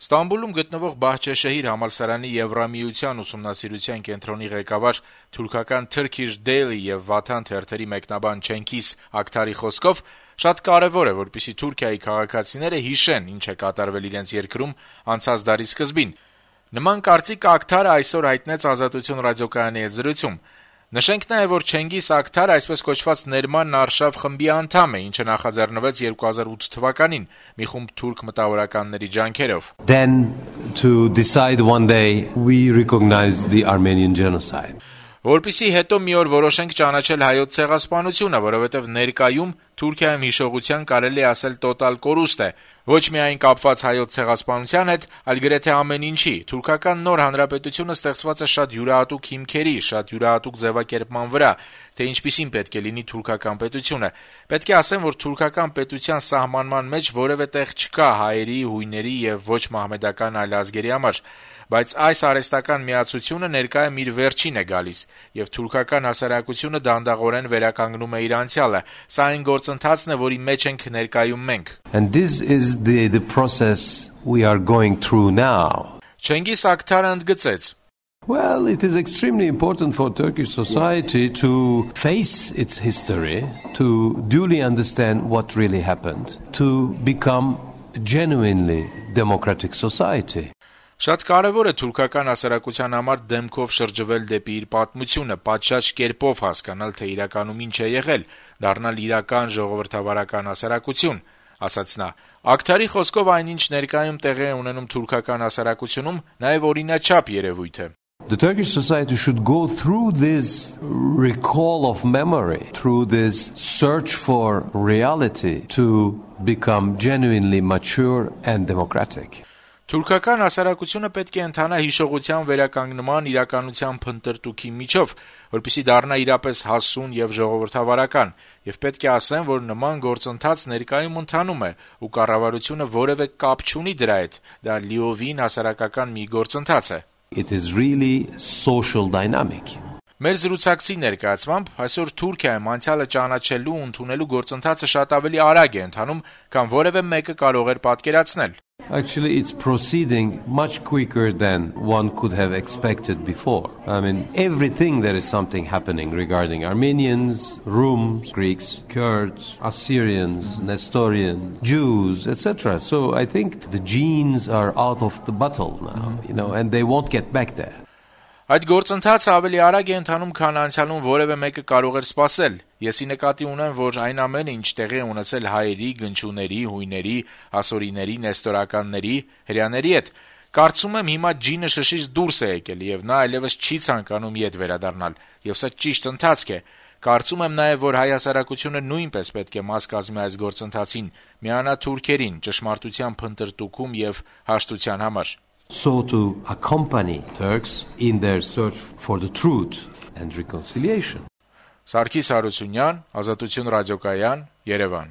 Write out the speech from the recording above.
Ստամբուլում գտնվող Բահչեշեհիր համալսարանի Եվրամիության ուսումնասիրության կենտրոնի ղեկավար թուրքական Turkish Daily եւ Vatan թերթերի մեկնաբան Չենգիզ Ակթարի խոսքով շատ կարեւոր է, որպեսզի Թուրքիայի քաղաքացիները հիշեն, ինչ է կատարվել իրենց երկրում անցած դարի սկզբին։ Նման կարծիք Ակթարը այսօր հայտնեց Ազատություն ռադիոկայանի հետ զրույցում։ Նշենք նաեւ, որ Չենգիզ Ակթարը այսպես կոչված Ներման Արշավ խմբի անդամ է, ինչը նախաձեռնվեց 2008 թվականին մի խումբ թուրք մտավորականների ջանքերով։ Then to decide one day we recognize the Armenian genocide. Որպեսզի հետո մի օր որոշենք ճանաչել հայոց ցեղասպանությունը, որովհետև ներկայում Թուրքիայում հիշողության կարելի է ասել տոտալ կորուստ է, ոչ միայն կապված հայոց ցեղասպանության հետ, այլ գրեթե ամեն ինչի։ Թուրքական նոր հանրապետությունը ստեղծված է շատ յուրահատուկ հիմքերի, շատ յուրահատուկ ձևակերպման վրա, թե ինչպիսին պետք է լինի թուրքական պետությունը։ Պետք է ասեմ, որ թուրքական պետության սահմանման մեջ որևէ տեղ չկա հայերի, հույների եւ ոչ մահմեդական այլ ազգերի համար, բայց այս արհեստական միացությունը ներկայում իր վերջին է գալիս, եւ թուրքական հասարակությունը դանդաղորեն վերականգնում է իր անցյալը։ Սա այն գործընթացն է, որի մեջ ենք ներկայում մենք։ And this is the process we are going through now. Չենգիզ Ակթարը ընդգծեց. Well, it is extremely important for Turkish society to face its history, to duly understand what really happened, to become a genuinely democratic society. Շատ կարևոր է թուրքական հասարակության համար դեմքով շրջվել դեպի իր պատմությունը, պատշաճ կերպով հասկանալ, թե իրականում ինչ է եղել, դառնալ իրական ժողովրդավարական հասարակություն, ասաց նա։ Ակթարի խոսքով այնինչ ներկայում տեղի է ունենում թուրքական հասարակությունում, նաև օրինաչափ երևույթ է։ The Turkish society should go through this recall of memory, through this search for reality to become genuinely mature and democratic. Թուրքական հասարակությունը պետք է ընթանա հիշողության վերականգնման իրականության փնտրտուքի միջով, որպեսզի դառնա իրապես հասուն եւ ժողովրդավարական, եւ պետք է ասեմ, որ նման գործընթաց ներկայում ընթանում է, ու կառավարությունը որևէ կապ չունի դրա հետ, դա լիովին հասարակական մի գործընթաց է։ It is really social dynamic. Մեր զրուցակցի ներկայացմամբ այսօր Թուրքիայում անցյալը ճանաչելու ու ընդունելու գործընթացը շատ ավելի արագ է ընթանում, քան որևէ մեկը կարող էր պատկերացնել։ Actually, it's proceeding much quicker than one could have expected before. I mean, everything there is something happening regarding Armenians, Rums, Greeks, Kurds, Assyrians, Nestorians, Jews, etc. So I think the genes are out of the bottle now, and they won't get back there. Այդ գործընթացը ավելի արագ է ընթանում, քան անցյալում որևէ մեկը կարող էր սպասել։ Եսի նկատի ունեմ, որ այն ամենը, ինչ տեղի է ունեցել հայերի, գնչուների, հույների, ասորիների, նեստորականների, հրեաների հետ, կարծում եմ հիմա ջինը շշից դուրս է եկել եւ նա այլևս չի ցանկանում իդ վերադառնալ, եւ սա ճիշտ ընթացք է։ Կարծում եմ նաեւ, որ հայ հասարակությունը նույնպես պետք է մաս կազմի այս գործընթացին, միանա թուրքերին ճշմարտության փնտրտուքում եւ հաշտության համար։ So to accompany Turks in their search for the truth and reconciliation. Սարգիս Հարությունյան, Ազատություն ռադիոկայան, Երևան։